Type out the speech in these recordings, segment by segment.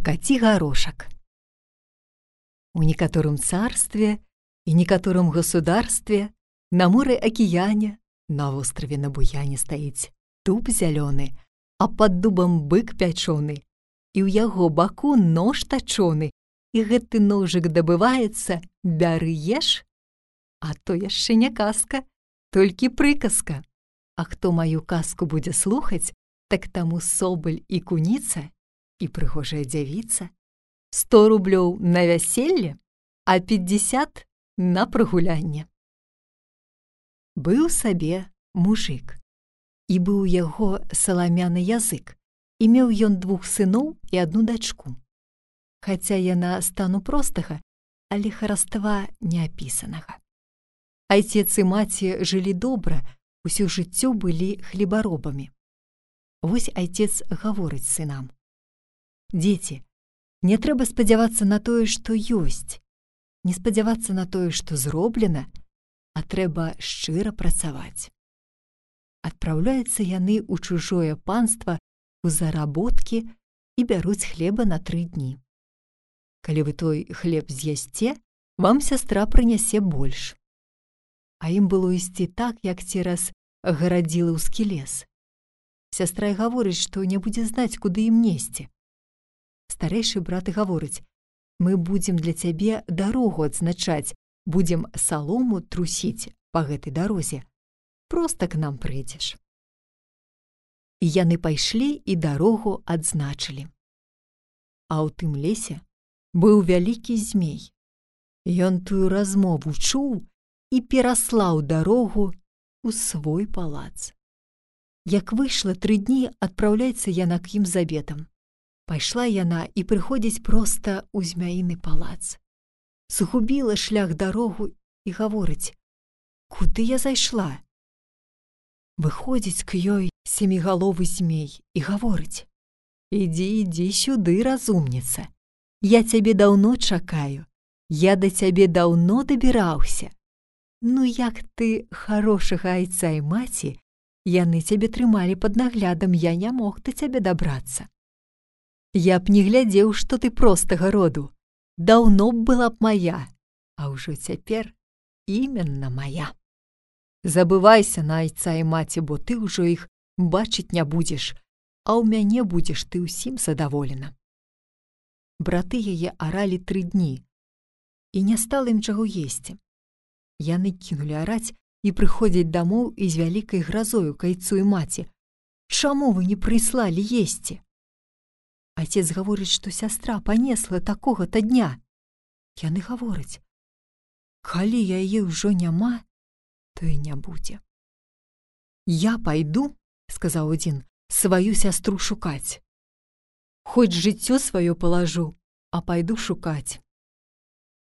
Каці горошак. У некаторым царстве и некаторым государстве, на море океане, на острове на буяне стаіць дуб зялёны, а пад дубам бык пячоны, і ў яго баку нож тачоны, і гэты ножык дабываецца, бяры еш, а то яшчэ не казка, толькі прыказка. А хто маю казку будзе слухаць, так таму соболь і куніца, і прыгожая дзявіца, 100 рублёў на вяселле, а 50 на прыгулянне. Быў сабе мужык, і быў яго саламяны язык, і меў ён 2 сыноў і 1 дачку. Хаця яна стану простага, але хараства неапісанага. Айцец і маці жылі добра, усё жыццё былі хлебаробамі. Вось айцец гаворыць сынам: «Дзеці, не трэба спадзявацца на тое, што ёсць, не спадзявацца на тое, што зроблена, а трэба шчыра працаваць». Адпраўляюцца яны ў чужое панства у заработкі і бяруць хлеба на 3 дні. Калі вы той хлеб з'ясце, вам сястра прынясе больш. А ім было ісці так, як цераз гарадзілаўскі лес. Сястра і гаворыць, што не будзе знаць, куды ім несці. Старэйшы брат і гаворыць: «Мы будзем для цябе дарогу адзначаць, будзем салому трусіць па гэтай дарозе. Проста к нам прыйдзеш». І яны пайшлі і дарогу адзначылі. А ў тым лесе быў вялікі змей. Ён тую размову чуў і пераслаў дарогу ў свой палац. Як выйшла 3 дні, адпраўляецца яна к ім з абедам. Пайшла яна і прыходзіць проста ў змяіны палац. Згубіла шлях дарогу і гаворыць: «Куды я зайшла?» Выходзіць к ёй семігаловы змей і гаворыць: «Ідзі, ідзі сюды, разумніца. Я цябе даўно чакаю, я да цябе даўно дабіраўся. Ну як ты харошага айца і маці, яны цябе трымалі пад наглядам, я не мог да цябе дабрацца. Я б не глядзеў, што ты простага роду, даўно б была б моя, а ўжо цяпер іменна моя. Забывайся на айца і маці, бо ты ўжо іх бачыць не будзеш, а ў мяне будзеш ты ўсім задаволена». Браты яе аралі 3 дні, і не стала ім чаго есці. Яны кінулі араць і прыходзяць дамоў і з вялікай гразою к айцу і маці: «Чаму вы не прыслалі есці?» Айцец гаворыць, што сястра панесла такога-то дня. Яны гавораць: «Калі яе ўжо няма, то і не будзе». «Я пайду, — сказаў адзін, — сваю сястру шукаць. Хоць жыццё сваё палажу, а пайду шукаць».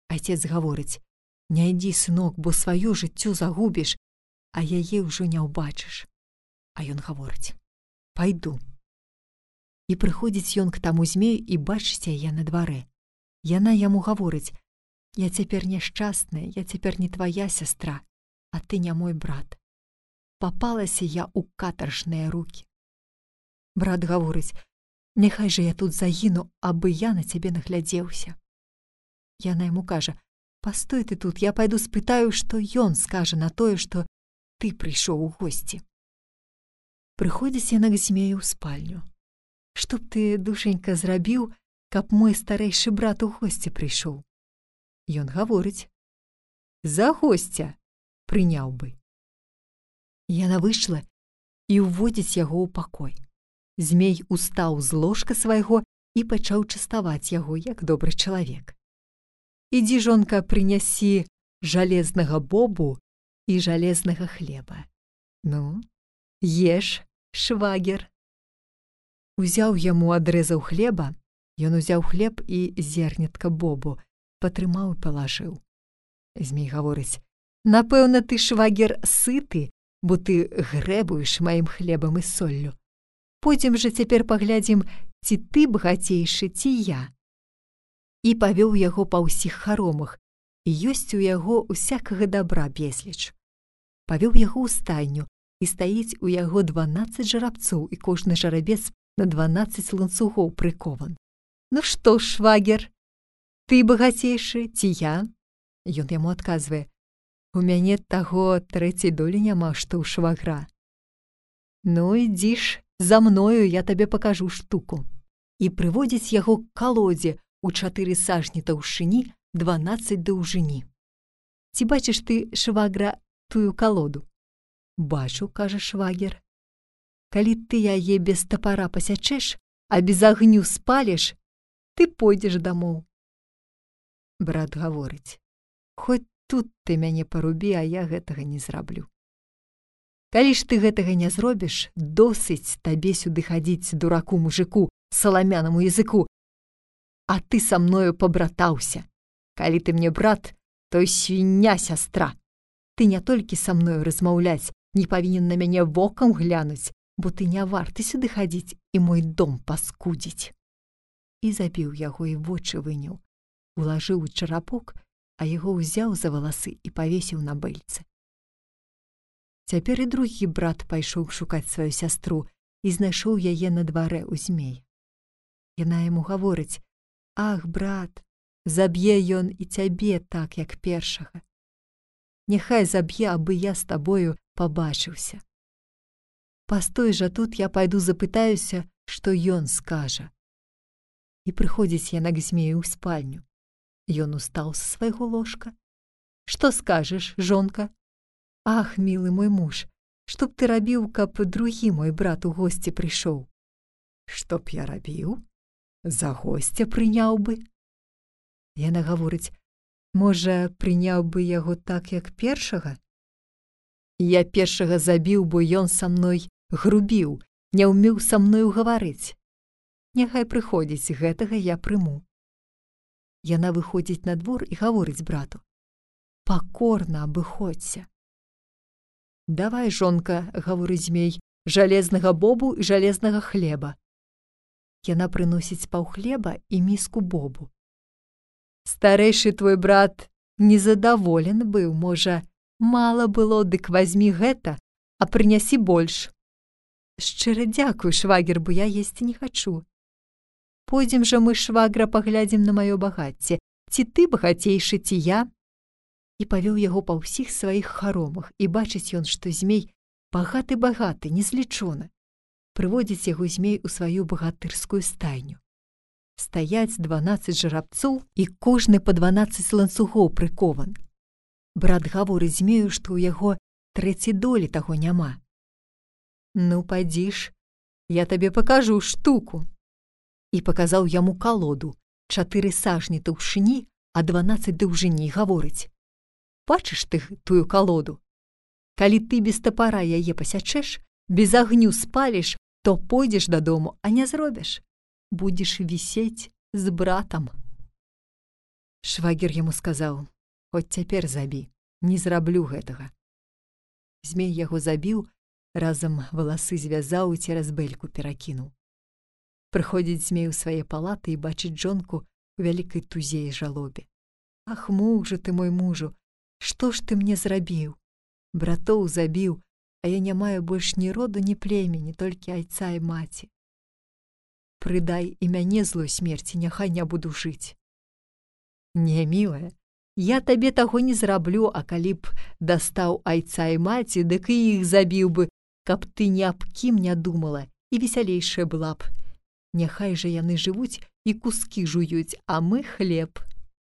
Айцец гаворыць: «Не ідзі, сынок, бо сваё жыццё загубіш, а яе ўжо не ўбачыш». А ён гаворыць: «Пайду». І прыходзіць ён к таму змею і бачыць яе на дварэ. Яна яму гаворыць: «Я цяпер няшчасная, я цяпер не твая сястра, а ты не мой брат. Папалася я ў катаржныя рукі». Брат гаворыць: «Няхай жа я тут загіну, абы я на цябе наглядзеўся». Яна яму кажа: «Пастой ты тут, я пайду спытаю, што ён скажа на тое, што ты прыйшоў у госці». Прыходзіць яна к змею ў спальню. «Што б ты, душенька, зрабіў, каб мой старэйшы брат у госці прыйшоў?» Ён гаворыць: «За госця прыняў бы». Яна выйшла і ўводзіць яго ў пакой. Змей устаў з ложка свайго і пачаў частаваць яго, як добры чалавек. «Ідзі, жонка, прынясі жалезнага бобу і жалезнага хлеба. Ну, еш, швагер». Узяў яму адрэзаў хлеба, ён узяў хлеб і зернятка бобу, патрымаў і палажыў. Змей гаворыць: «Напэўна, ты, швагер, сыты, бо ты грэбуеш маім хлебам і соллю. Пойдзем жа цяпер паглядзім, ці ты багацейшы, ці я». І павёў яго па ўсіх харомах, і ёсць у яго усякага дабра безліч. Павёў яго ў стайню, і стаіць у яго 12 жарабцоў, і кожны жарабец на 12 ланцугоў прыкован. Ну што ж, швагер, ты багацейшы ці я? Ён яму адказвае: у мяне таго трэцяй долі няма, што ў швагра. Ну, ідзі ж за мною, я табе пакажу штуку. І прыводзіць яго к калодзе ў 4 сажні таўшчыні, 12 даўжыні. Ці бачыш ты, швагра, тую калоду? Бачу, кажа швагер. Калі ты яе без тапара пасячэш, а без агню спаліш, ты пойдзеш дамоў. Брат гаворыць: хоць тут ты мяне парубі, а я гэтага не зраблю. Калі ж ты гэтага не зробіш, досыць табе сюды хадзіць, дураку мужику, саламянаму языку, а ты са мною пабратаўся. Калі ты мне брат, то і свіння сястра. Ты не толькі са мною размаўляць, не павінен на мяне вокам глянуць, бо ты не варты сюды хадзіць і мой дом паскудзіць. І забіў яго, і вочы выняў, улажыў у чарапок, а яго ўзяў за валасы і павесіў на бэльцы. Цяпер і другі брат пайшоў шукаць сваю сястру і знайшоў яе на дварэ ў змея. Яна яму гаворыць: ах, брат, заб'е ён і цябе так, як першага. Няхай заб'е, абы я з табою пабачыўся. Пастой жа тут, я пайду запытаюся, што ён скажа. І прыходзіць яна к змею ў спальню. Ён устаў з свайго ложка. Што скажаш, жонка? Ах, мілы мой муж, што б ты рабіў, каб другі мой брат у госці прыйшоў? Што б я рабіў? За госця прыняў бы. Яна гаворыць: можа, прыняў бы яго так, як першага? Я першага забіў, бо ён са мной грубіў, не ўмеў са мною гаварыць. Няхай прыходзіць, гэтага я прыму. Яна выходзіць на двор і гаворыць брату: пакорна абыходзься. Давай, жонка, гаворыць змей, жалезнага бобу і жалезнага хлеба. Яна прыносіць паўхлеба і міску бобу. Старэйшы твой брат незадаволен быў, можа, мала было, дык вазьмі гэта, а прынясі больш. Шчыра дзякуй, швагер, бо я есці не хачу. Пойдзем жа мы, швагра, паглядзім на маё багацце, ці ты багацейшы, ці я? І павёў яго па ўсіх сваіх харомах, і бачыць ён, што змей багаты-багаты, незлічона. Прыводзіць яго змей у сваю багатырскую стайню. Стаяць 12 жарабцоў, і кожны па 12 ланцугоў прыкован. Брат гаворыць змею, што ў яго трэцяй долі таго няма. Ну, пайдзі ж, я табе пакажу штуку. І паказаў яму калоду, 4 сажні таўшчыні, а 12 даўжыні, гаворыць: бачыш ты тую калоду? Калі ты без тапара яе пасячэш, без агню спаліш, то пойдзеш дадому, а не зробіш. Будзеш вісець з братам. Швагер яму сказаў: хоць цяпер забі, не зраблю гэтага. Змей яго забіў, разам валасы звязаў і цераз бэльку перакінуў. Прыходзіць змей у свае палаты і бачыць жонку у вялікай тузе і жалобе. Ах, мужу ты мой мужу, што ж ты мне зрабіў? Братоў забіў, а я не маю больш ні роду, ні племені, толькі айца і маці. Прыдай і мяне злой смерці, няхай не буду жыць. Не, мілая, я табе таго не зраблю, а калі б дастаў айца і маці, дык і іх забіў бы, каб ты ні аб кім не думала, і весялейшая была б. Няхай жа яны жывуць і кускі жуюць, а мы хлеб,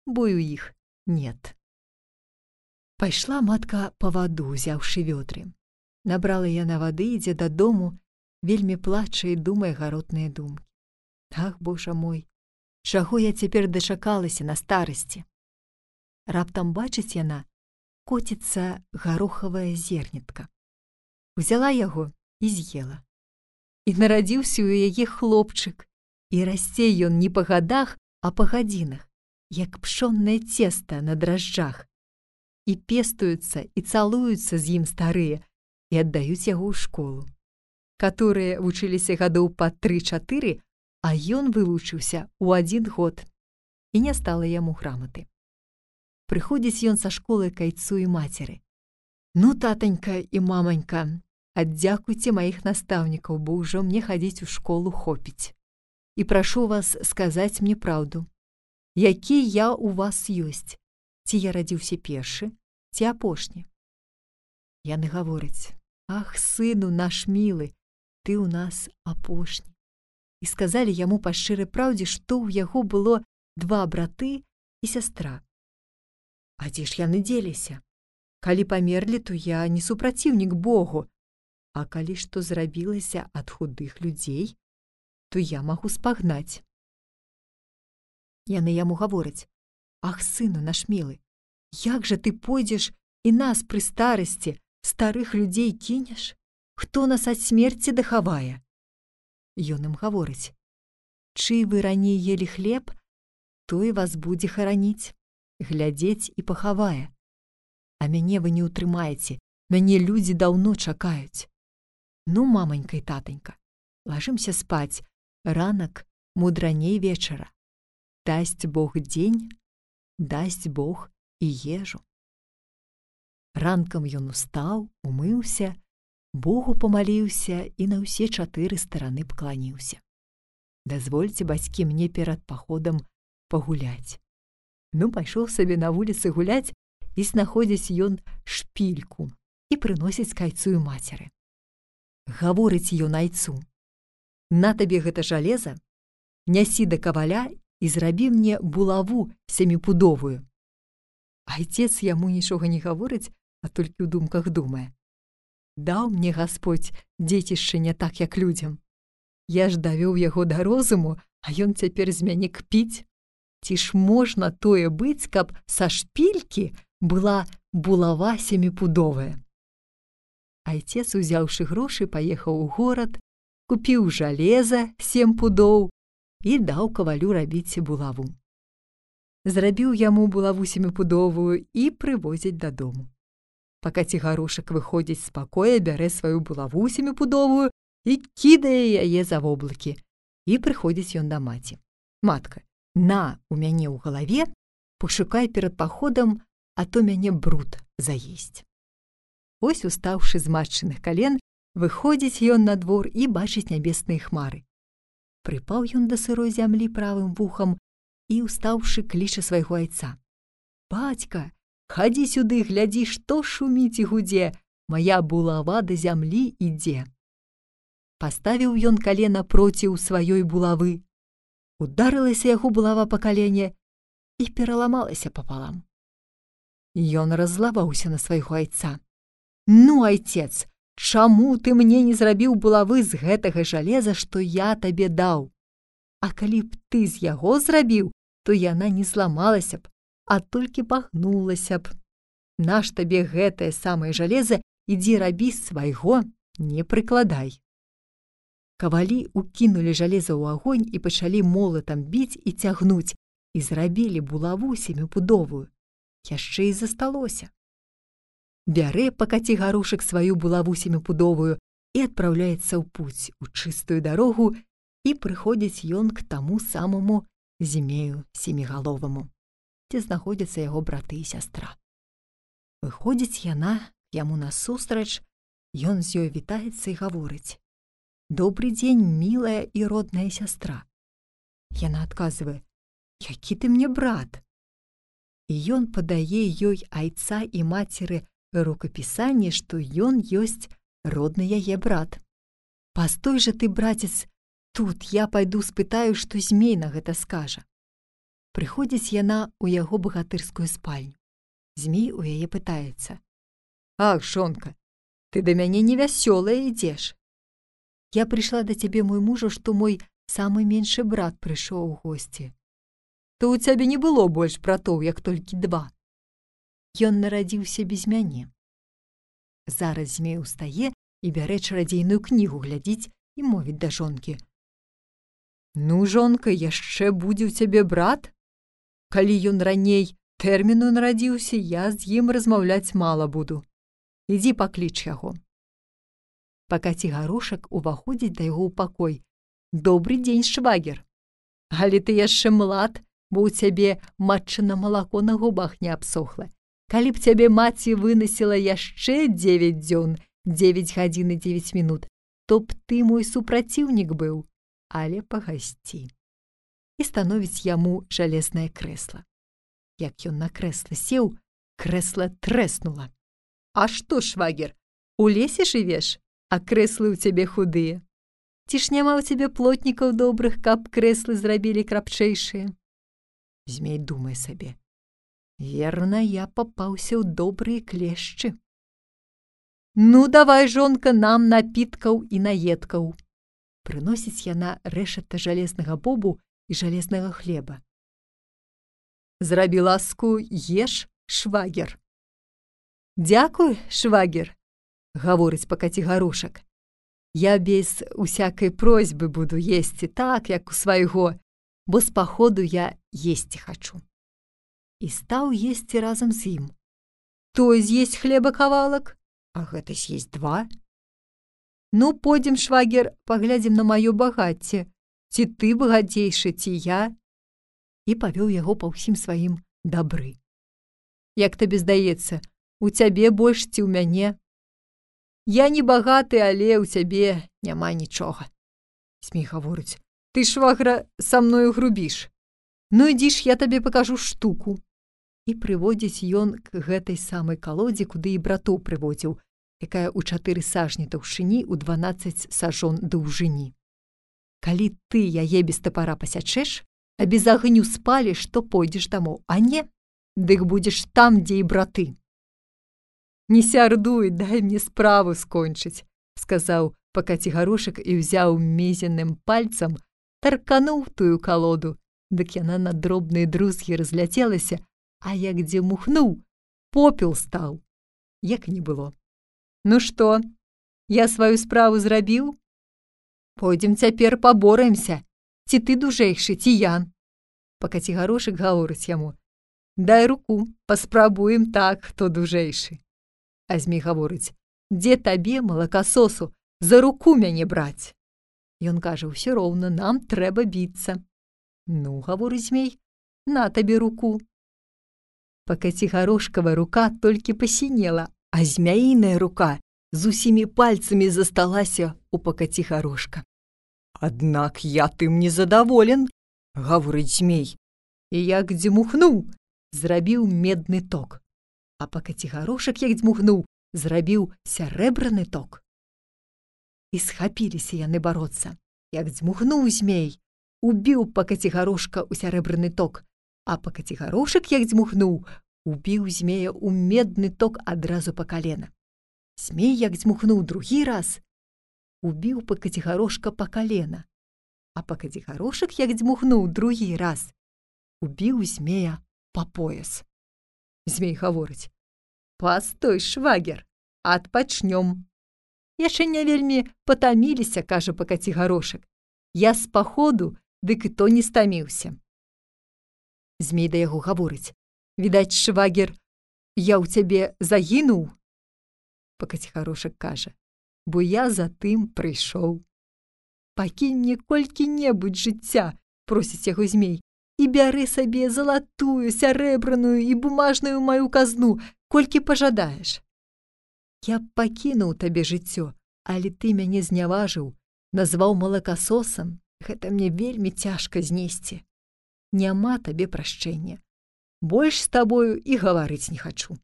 бо ў іх нет. Пайшла матка па ваду, узяўшы вёдры. Набрала яна вады, ідзе дадому, вельмі плача і думае гаротныя думкі. Ах, божа мой, чаго я цяпер дачакалася на старасці? Раптам бачыць яна, коціцца гарохавая зернятка. Узяла яго і з'ела. І нарадзіўся ў яе хлопчык, і расце ён не па гадах, а па гадзінах, як пшоннае цеста на дражджах. І пестуюцца, і цалуюцца з ім старыя, і аддаюць яго ў школу. Каторыя вучыліся гадоў па 3-4, а ён вывучыўся ў 1 год, і не стала яму граматы. Прыходзіць ён са школы к айцу і мацеры. Ну, татанька і маманька, аддзякуйце маіх настаўнікаў, бо ўжо мне хадзіць у школу хопіць. і прашу вас сказаць мне праўду. Які я ў вас ёсць? Ці я радзіўся першы, ці апошні? Яны гавораць: ах, сыну наш мілы, ты ў нас апошні. І сказалі яму па шчырай праўдзе, што ў яго было 2 браты і сястра. А дзе ж яны дзеліся? Калі памерлі, то я не супраціўнік Богу, а калі што зрабілася ад худых людзей, то я магу спагнаць. Яны яму гавораць: ах, сыну наш мілы, як жа ты пойдзеш і нас пры старасці, старых людзей кінеш? Хто нас ад смерці дахавае? Ён ім гаворыць: чый вы раней елі хлеб, той вас будзе хараніць, глядзець і пахавае. А мяне вы не ўтрымаеце, мяне людзі даўно чакаюць. Ну, маманька і татанька, лажымся спаць, ранак мудраней вечара. Дасць Бог дзень, дасць Бог і ежу. Ранкам ён устаў, умыўся, Богу памаліўся і на ўсе 4 стараны пакланіўся. Дазвольце, бацькі, мне перад паходам пагуляць. Ну, пайшоў сабе на вуліцы гуляць, і знаходзіць ён шпільку і прыносіць к айцу і мацеры. Гаворыць ён айцу: на табе гэта жалеза, нясі да каваля і зрабі мне булаву 7-пудовую. Айцец яму нічога не гаворыць, а толькі ў думках думае: даў мне Гасподзь дзецішча не так, як людзям. Я ж давёў яго да розуму, а ён цяпер з мяне кпіць. Ці ж можна тое быць, каб са шпількі была булава 7-пудовая? Айцец, узяўшы грошы, паехаў у горад, купіў жалеза 7 пудоў і даў кавалю рабіць булаву. Зрабіў яму булаву 7-пудовую і прывозяць дадому. Пака Цігарошак выходзіць з пакоя, бярэ сваю булаву 7-пудовую і кідае яе за воблакі. І прыходзіць ён да маці: матка, на, у мяне ў галаве, пашукай перад паходам, а то мяне бруд заесць. Ось, устаўшы з матчыных кален, выходзіць ён на двор і бачыць нябесныя хмары. Прыпаў ён да сырой зямлі правым вухам і, устаўшы, кліча свайго айца: бацька, хадзі сюды, глядзі, што шуміць і гудзе, мая булава да зямлі ідзе. Паставіў ён калена проціў сваёй булавы. Ударылася яго булава па калене і пераламалася папалам. Ён раззлаваўся на свайго айца: ну, айцец, чаму ты мне не зрабіў булавы з гэтага жалеза, што я табе даў? А калі б ты з яго зрабіў, то яна не зламалася б, а толькі пагнулася б. Наш табе гэтае самае жалеза, ідзі рабі свайго, не прыкладай. Кавалі укінулі жалеза ў агонь і пачалі молатам біць і цягнуць, і зрабілі булаву 7-пудовую. Яшчэ і засталося. Бярэ пака Цігарошак сваю булаву 7-пудовую і адпраўляецца ў пуць, у чыстую дарогу, і прыходзіць ён к таму самому Змею Семігаловаму, дзе знаходзяцца яго браты і сястра. Выходзіць яна яму насустрач, ён з ёй вітаецца і гаворыць: добрый дзень, мілая і родная сястра. Яна адказвае: які ты мне брат? І ён падае ёй айца і мацеры рукапісанне, што ён ёсць родны яе брат. Пастой жа ты, братец, тут я пайду спытаю, што Змей на гэта скажа. Прыходзіць яна ў яго багатырскую спальню. Змей у яе пытаецца: ах, жонка, ты да мяне невясёлая ідзеш. Я прыйшла да цябе, мой мужу, што мой самы меншы брат прыйшоў у госці. То ў цябе не было больш братоў, як толькі 2. Ён нарадзіўся без мяне. Зараз Змей устае і бярэ чарадзейную кнігу глядзіць і мовіць да жонкі: ну, жонка, яшчэ будзе ў цябе брат? Калі ён раней тэрміну нарадзіўся, я з ім размаўляць мала буду. Ідзі пакліч яго. Пака Цігарошак уваходзіць да яго ў пакой: добрый дзень, швагер. Але ты яшчэ млад, бо ў цябе матчына малако на губах не абсохла. Калі б цябе маці вынасіла яшчэ 9 дзён, 9 гадзін і 9 мінут, то б ты мой супраціўнік быў. але пагасці. І становіць яму жалезнае крэсла. Як ён на крэсла сеў, крэсла трэснула. А што, швагер, у лесе жывеш, а крэслы ў цябе худыя? Ці ж няма ў цябе плотнікаў добрых, каб крэслы зрабілі крапчэйшыя? Змей думае сабе. Верна, я папаўся ў добрыя клешчы. Ну, давай, жонка, нам напіткаў і наедкаў. Прыносіць яна рэшата жалезнага бобу і жалезнага хлеба. Зрабі ласку, еш, швагер. Дзякуй, швагер, гаворыць пакацігарошак. Я без усякай просьбы буду есці так, як у свайго, бо з паходу я есці хачу. І стаў есці разам з ім. Той з'есть хлеба кавалак, а гэта з'есть 2. Ну, пойдзем, швагер, паглядзім на маё багацце. Ці ты багацейшы, ці я? І павёў яго па ўсім сваім дабры. Як табе здаецца, у цябе больш ці ў мяне? Я не багаты, але ў цябе няма нічога. Змей гаворыць, ты, швагра, са мною грубіш. Ну, ідзі ж, я табе пакажу штуку. І прыводзіць ён к гэтай самай калодзе, куды і братоў прыводзіў, якая ў 4 сажні таўшчыні, у 12 сажон даўжыні. Калі ты яе без тапара пасячэш, а без агню спаліш, то пойдзеш дамоў, а не, дык будзеш там, дзе і браты. Не сярдуй, дай мне справу скончыць, сказаў пакацігарошак і ўзяў мезенным пальцам, таркануў тую калоду, дык яна на дробныя друзгі разляцелася, а як дзе мухнуў, попел стаў, як не было. Ну што, я сваю справу зрабіў? Пойдзем цяпер пабораемся, ці ты дужэйшы, ці я. Пакацігарошак гаворыць яму, дай руку, паспрабуем так, хто дужэйшы. А змей гаворыць, дзе табе, малакасосу, за руку мяне браць? Ён кажа, ўсё роўна, нам трэба біцца. Ну, гаворыць змей, на табе руку. Пакацігарошкава рука толькі пасінела, а змяіная рука з усімі пальцамі засталася у пакацігарошка. Аднак я тым не задаволен, гаворыць змей, і як дзьмухнуў, зрабіў медны ток. А пакацігарошак, як дзьмухнуў, зрабіў сярэбраны ток. І схапіліся яны бароцца. Як дзьмухнуў змей, убіў пакацігарошка ў сярэбраны ток, а пакацігарошак, як дзьмухнуў, убіў змея ў медны ток адразу па калена. Змей, як дзьмухнуў другі раз, убіў пакацігарошка па калена, а пакацігарошак, як дзьмухнуў другі раз, убіў змея па пояс. Змей гаворыць, пастой, швагер, адпачнём. Яшчэ не вельмі патаміліся, кажа пакацігарошак. Я з паходу, дык і то не стаміўся. Змей да яго гаворыць, відаць, швагер, я ў цябе загінуў? Пакацігарошак кажа, бо я за тым прыйшоў. Пакінь мне колькі-небудзь жыцця, просіць яго змей, і бяры сабе залатую, сярэбраную і бумажную маю казну, колькі пажадаеш. Я пакінуў табе жыццё, але ты мяне зняважыў, назваў малакасосам, гэта мне вельмі цяжка знесці. Няма табе прашчэння. Больш з табою і гаварыць не хачу.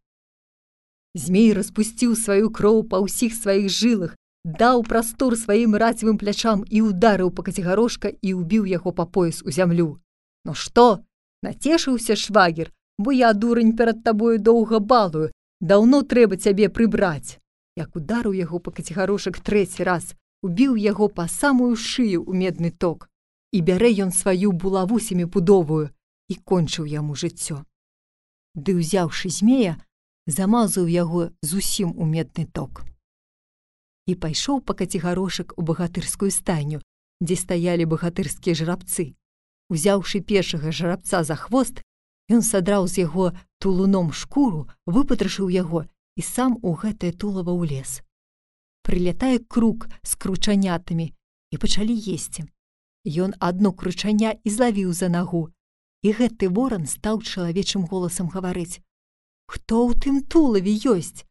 Змей распусціў сваю кроў па ўсіх сваіх жылах, даў прастор сваім рацевым плячам і ударыў пакацігарошка і ўбіў яго па пояс у зямлю. Ну што, нацешыўся, швагер, бо я, дурань, перад табою доўга балую, даўно трэба цябе прыбраць. Як ударыў яго пакацігарошак 3 раз, убіў яго па самую шыю ў медны ток, і бярэ ён сваю булаву 7-пудовую і кончыў яму жыццё. Ды, ўзяўшы змея, замазаў яго зусім у медны ток. І пайшоў пакацігарошак у багатырскую стайню, дзе стаялі багатырскія жарабцы. Узяўшы першага жарабца за хвост, ён садраў з яго тулуном шкуру, выпатрашыў яго і сам у гэтае тулава ўлез. Прылятае крук з кручанятамі і пачалі есці. Ён адно кручаня і злавіў за нагу, і гэты воран стаў чалавечым голасам гаварыць: «Хто ў тым тулаве ёсць?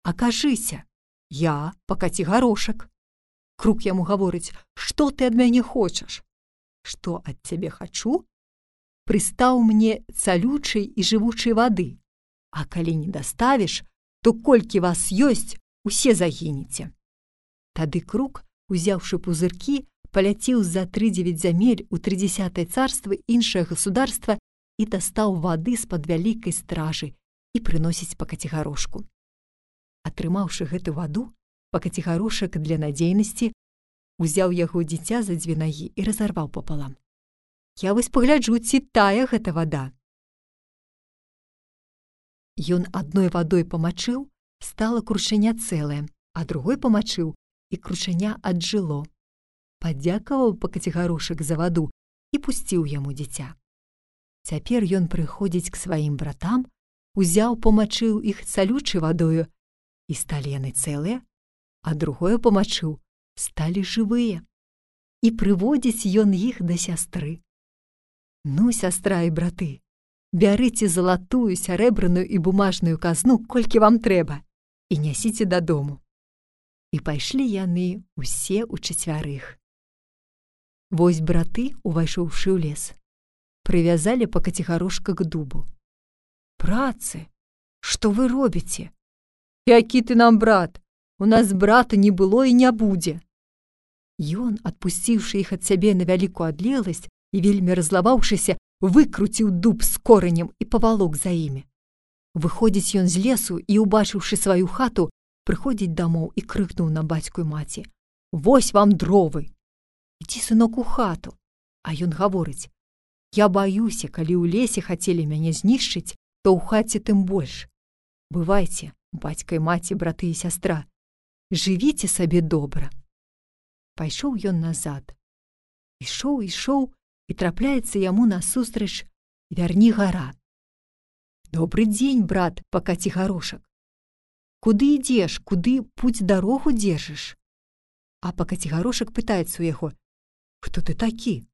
Акажыся, я пакацігарошак». Крук яму гаворыць: «Што ты ад мяне хочаш?» «Што ад цябе хачу? Прыстаў мне цалючай і жывучай вады, а калі не даставіш, то колькі вас ёсць, усе загінеце». Тады Крук, узяўшы пузыркі, паляцеў за 3-9 зямель у 30-е царства іншае государства і дастаў вады з-пад вялікай стражы і прыносіць па Кацігарошку. Атрымаўшы гэту ваду, па Кацігарошак для надзейнасці узяў яго дзіця за 2 нагі і разарваў папалам. «Я вось пагляджу, ці тая гэта вада». Ён адной вадой памачыў, стала крушаня цэлае, а другой памачыў, і крушаня аджыло. Падзякаваў па Кацігарошак за ваду і пусціў яму дзіця. Цяпер ён прыходзіць к сваім братам, узяў, памачыў іх цалючай вадою, і сталі яны цэлыя, а другое памачыў, сталі жывыя. І прыводзіць ён іх да сястры. «Ну, сястра і браты, бярыце залатую, сярэбраную і бумажную казну, колькі вам трэба, і нясіце дадому». І пайшлі яны ўсе ўчацвярых. Вось браты, увайшоўшы ў лес, прывязалі па Кацігарошка к дубу. «Братцы, што вы робіце?» «Які ты нам брат? У нас брата не было і не будзе». Ён, адпусціўшы іх ад сябе на вялікую адлегласць і вельмі разлаваўшыся, выкруціў дуб з коранем і павалок за імі. Выходзіць ён з лесу і, убачыўшы сваю хату, прыходзіць дамоў і крыкнуў на бацьку і маці: «Вось вам дровы! Ідзі, сынок, у хату». А ён гаворыць: «Я баюся, калі ў лесе хацелі мяне знішчыць, то ў хаце тым больш. Бывайце, бацька і маці, браты і сястра, жывіце сабе добра». Пайшоў ён назад. Ішоў, і трапляецца яму насустрач Вярні-гара. «Добры дзень, брат па Кацігарошак. Куды ідзеш, куды пуць-дарогу дзержыш?» А па Кацігарошак пытаецца ў яго: «Хто ты такі?»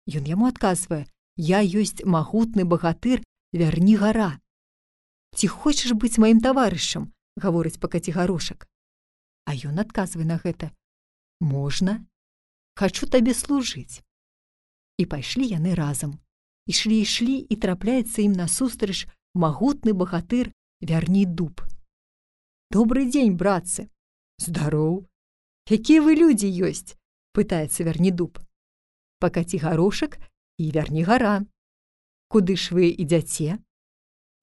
Ён яму адказвае: «Я ёсць магутны багатыр Вярні-гара». «Ці хочаш быць маім таварышам?» гаворыць па Кацігарошак. А ён адказвае на гэта: «Можна, хачу табе служыць». І пайшлі яны разам. Ішлі і трапляецца ім насустрач магутны багатыр Вярні-дуб. «Добрый дзень, братцы!» «Здароў! Якія вы людзі ёсць?» пытаецца Вярні-дуб. «Па Кацігарошак і Вярні-гара. Куды ж вы ідзяце?»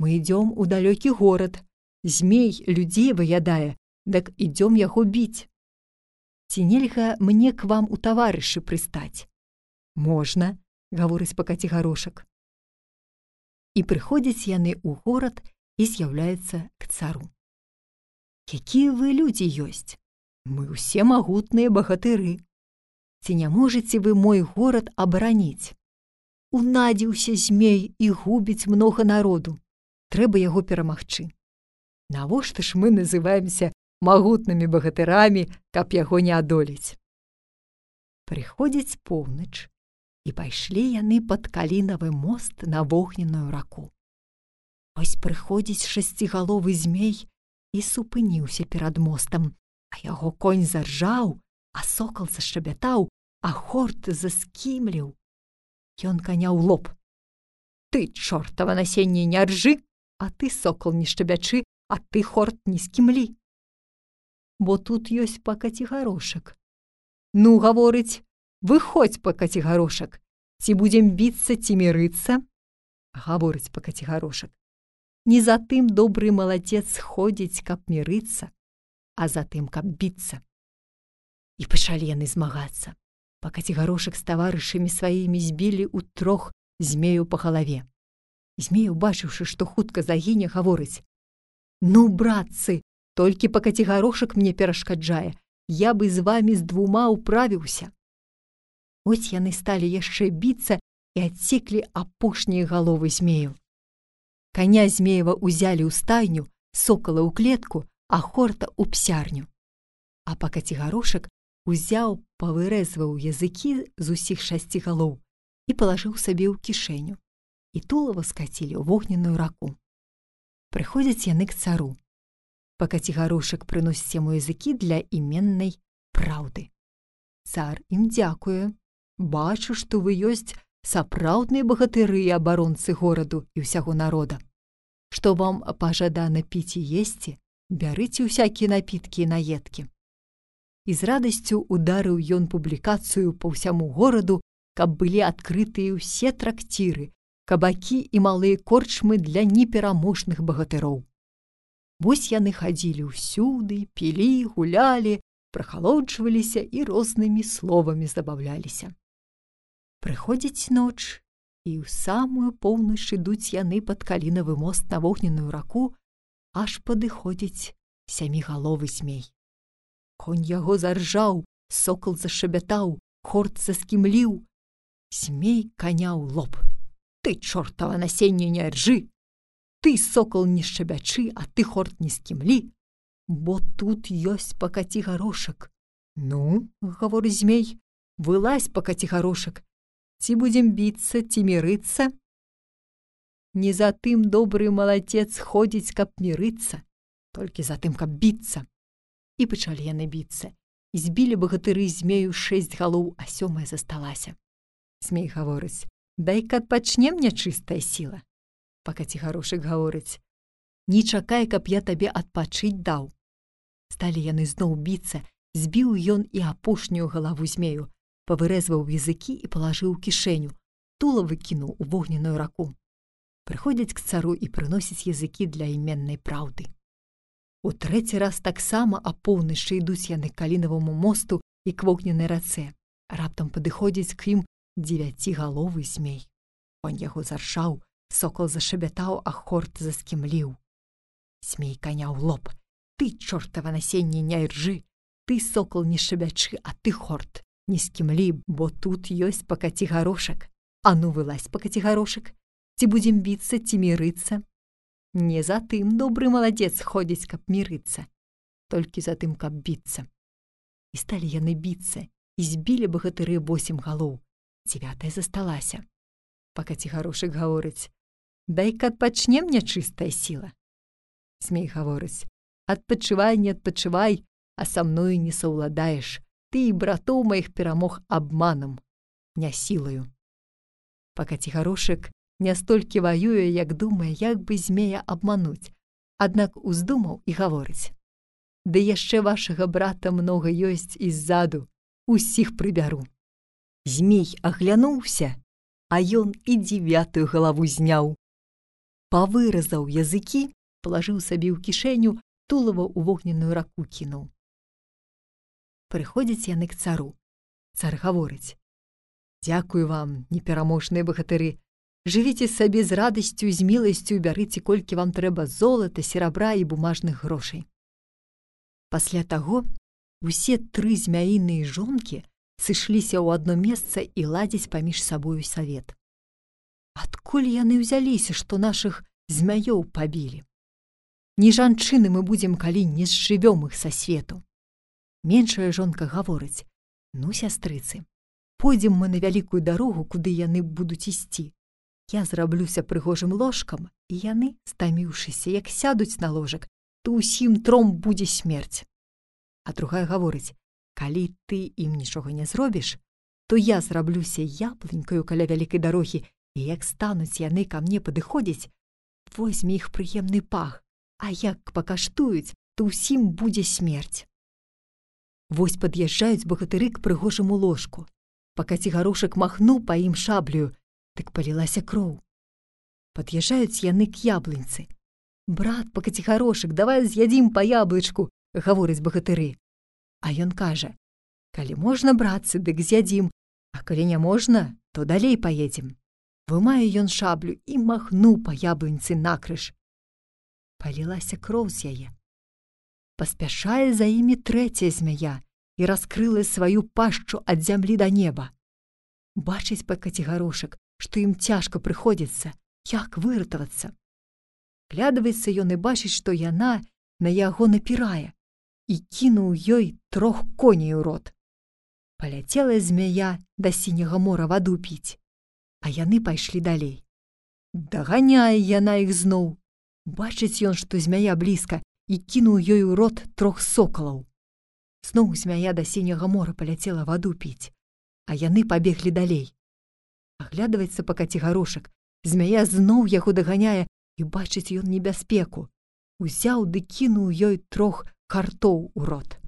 «Мы ідём у далёкі горад. Змей людзей выядае, дык ідём яго біць. Ці нельга мне к вам у таварышы прыстаць?» «Можна», гаворыць па Кацігарошак. І прыходзяць яны ў горад і з'яўляюцца к цару. «Якія вы людзі ёсць? Мы ўсе магутныя багатыры. Ці не можаце вы мой горад абараніць? Унадзіўся змей і губіць многа народу. Трэба яго перамагчы. Навошта ж мы называемся магутнымі багатырамі, каб яго не адолець?» Прыходзіць поўнач, і пайшлі яны пад калінавы мост на вогненную раку. Ось прыходзіць шасцігаловы змей і супыніўся перад мостам, а яго конь заржаў, а сокал зашчабятаў, а хорт заскімліў. Ён каня ў лоб: «Ты, чортава насенне, не ржы, а ты, сокал, не шчабячы, а ты, хорт, не скімлі». Бо тут ёсць па Кацігарошак. «Ну, гаворыць, выходзь па Кацігарошак, ці будзем біцца, ці мірыцца?» Гаворыць па Кацігарошак: «Не за тым добры маладзец ходзіць, каб мірыцца, а за тым, каб біцца». І пачалі яны змагацца. Па Кацігарошак з таварышамі сваімі збілі ўтрох змею па галаве. Змей, убачыўшы, што хутка загіне, гаворыць: «Ну, братцы, толькі па Кацігарошак мне перашкаджае, я бы з вамі з 2 управіўся». Ось яны сталі яшчэ біцца і адсеклі апошнія галовы змею. Каня змеева ўзялі ў стайню, сокала ў клетку, а хорта ў псярню. А па Кацігарошак узяў, павырэзваў языкі з усіх 6 галоў і палажыў сабе ў кішэню. І тулава скацілі ў вогненную раку. Прыходзяць яны к цару. Па Кацігарошак прыносіць яму языкі для іменнай праўды. Цар ім дзякуе. Бачу, што вы ёсць сапраўдныя багатыры і абаронцы гораду і ўсяго народа. Што вам пажадана піць і есці, бярыце ўсякія напіткі і наедкі. І з радасцю ударыў ён публікацыю па ўсяму гораду, каб былі адкрытыя ўсе трактіры, кабакі і малыя корчмы для непераможных багатыроў. Вось яны хадзілі ўсюды, пілі, гулялі, прахалоджваліся і рознымі словамі забаўляліся. Прыходзіць ноч, і ў самую поўнач ідуць яны пад калінавы мост на вогненную раку, аж падыходзіць сямігаловы змей. Конь яго заржаў, сокал зашабятаў, хорт заскімліў. Змей каня ў лоб. Ты, чортава насенне, не ржы! Ты, сокал, не шчабячы, а ты, хорт, не скімлі, бо тут ёсць пакаці гарошак. Ну, гаворыць змей, вылазь, пакаці гарошак. Ці будзем біцца, ці мірыцца? Не за тым добры малацец ходзіць, каб мірыцца, толькі за тым, каб біцца. І пачалі яны біцца. І збілі багатыры змею 6 галоў, а 7 засталася. Змей гаворыць: дай-ка адпачнем, нячыстая сіла. Пакаці гарошак гаворыць: не чакай, каб я табе адпачыць даў. Сталі яны зноў біцца, збіў ён і апошнюю галаву змею, павырэзваў языкі і палажыў у кішэню, тула выкінуў у вогненную раку. Прыходзяць к цару і прыносяць языкі для іменнай праўды. У трэці раз таксама апоўначы ідуць яны к калінаваму мосту і к вогненнай рацэ. Раптам падыходзіць к ім 9галовы змей. Конь яго заржаў, сокал зашабятаў, а хорт заскімліў. Змей каня ў лоб. Ты, чортава насенне, не ржы! Ты, сокал, не шабячы, а ты, хорт, не скімлі, бо тут ёсць пакаці гарошак. А ну, вылазь, пакаці гарошак! Ці будзем біцца, ці мірыцца? Не за тым добры маладзец ходзіць, каб мірыцца, толькі за тым, каб біцца. І сталі яны біцца, і збілі багатыры 8 галоў, 9 засталася. Пакаці гарошак гаворыць: дай-ка адпачнем, нячыстая сіла. Змей гаворыць: адпачывай, не адпачывай, а са мною не саўладаеш. Ты і братоў маіх перамог абманам, не сілаю. Пакаці гарошак не столькі ваюе, як думае, як бы змея абмануць, аднак уздумаў і гаворыць: ды яшчэ вашага брата многа ёсць і ззаду, усіх прыбяру. Змей аглянуўся, а ён і 9 галаву зняў. Павыразаў языкі, палажыў сабе ў кішэню, тулава ў вогненную раку кінуў. Прыходзяць яны к цару. Цар гаворыць: дзякую вам, непераможныя багатыры, жывіце сабе з радасцю і з міласцю, бярыце, колькі вам трэба золата, серабра і бумажных грошай. Пасля таго усе 3 змяіныя жонкі сышліся ў адно месца і ладзяць паміж сабою савет. Адкуль яны ўзяліся, што нашых змяёў пабілі? Не жанчыны мы будзем, калі не зжывём іх са свету. Меншая жонка гаворыць: ну, сястрыцы, пойдзем мы на вялікую дарогу, куды яны будуць ісці. Я зраблюся прыгожым ложкам, і яны, стаміўшыся, як сядуць на ложак, то ўсім 3 будзе смерць. А другая гаворыць: калі ты ім нічога не зробіш, то я зраблюся яблынькаю каля вялікай дарогі, і як стануць яны ка мне падыходзіць, возьме іх прыемны пах, а як пакаштуюць, то ўсім будзе смерць. Вось пад'язджаюць багатыры к прыгожаму ложку. Пакаці гарошак махнуў па ім шаблею, дык палілася кроў. Пад'язджаюць яны к яблыньцы. Брат, пакаці гарошак, давай з'ядзім па яблычку, гаворыць багатыры. А ён кажа: калі можна, братцы, дык з'ядзім, а калі не можна, то далей паедзем. Вымае ён шаблю і махнуў па яблыньцы накрыж. Палілася кроў з яе. Паспяшае за імі 3 змяя і раскрыла сваю пашчу ад зямлі да неба. Бачыць пакаці гарошак, што ім цяжка прыходзіцца, як выратавацца. Глядаваецца ён і бачыць, што яна на яго напірае, і кінуў ёй 3 коней у рот. Паляцела змяя да сіняга мора ваду піць, а яны пайшлі далей. Даганяе яна іх зноў. Бачыць ён, што змяя блізка, і кінуў ёй у рот 3 сокалаў. Зноў змяя да сіняга мора паляцела ваду піць, а яны пабеглі далей. Аглядваецца па кацегарошак, змяя зноў яго даганяе, і бачыць ён небяспеку. Узяў ды кінуў ёй 3 картоў у рот.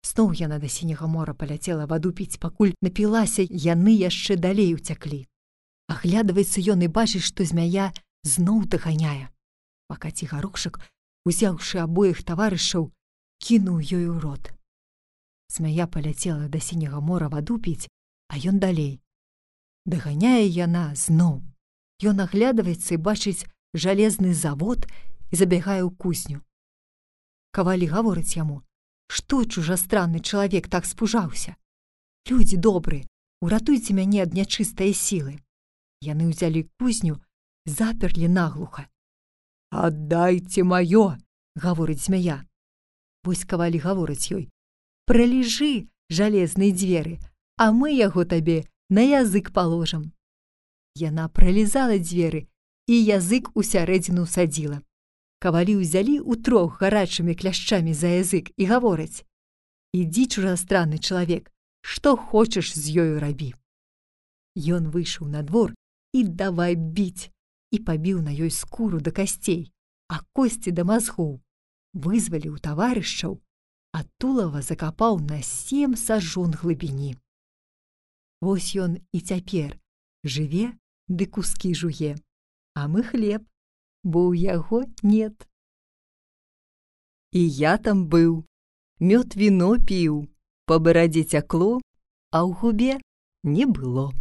Зноў яна да сіняга мора паляцела ваду піць, пакуль напілася, яны яшчэ далей уцяклі. Аглядваецца ён і бачыць, што змяя зноў даганяе. А кацегарошак, узяўшы абоіх таварышаў, кінуў ёй у рот. Змяя паляцела да сіняга мора ваду піць, а ён далей. Даганяе яна зноў. Ён аглядваецца і бачыць жалезны завод і забягае ў кузню. Кавалі гаворыць яму: «Што чужастранны чалавек так спужаўся? Людзі добрыя, уратуйце мяне ад нячыстае сілы». Яны ўзялі кузню, заперлі наглуха. «Аддайце маё!» — гаворыць змяя. Вось кавалі гаворыць ёй: «Пралежы, жалезныя дзверы, а мы яго табе на язык паложым». Яна пралізала дзверы і язык усярэдзіну садзіла. Кавалі ўзялі ўтрох гарачымі кляшчамі за язык і гавораць: «Ідзі, чужастранны чалавек, што хочаш з ёю рабі». Ён выйшаў на двор і давай біць, і пабіў на ёй скуру да касцей, а косці да мазгоў, вызваліў таварышаў, а тулава закапаў на 7 сажон глыбіні. Вось ён і цяпер жыве ды кускі жуе, а мы хлеб, бо ў яго нет. І я там быў, мёд віно піў, па барадзе цякло, а ў губе не было.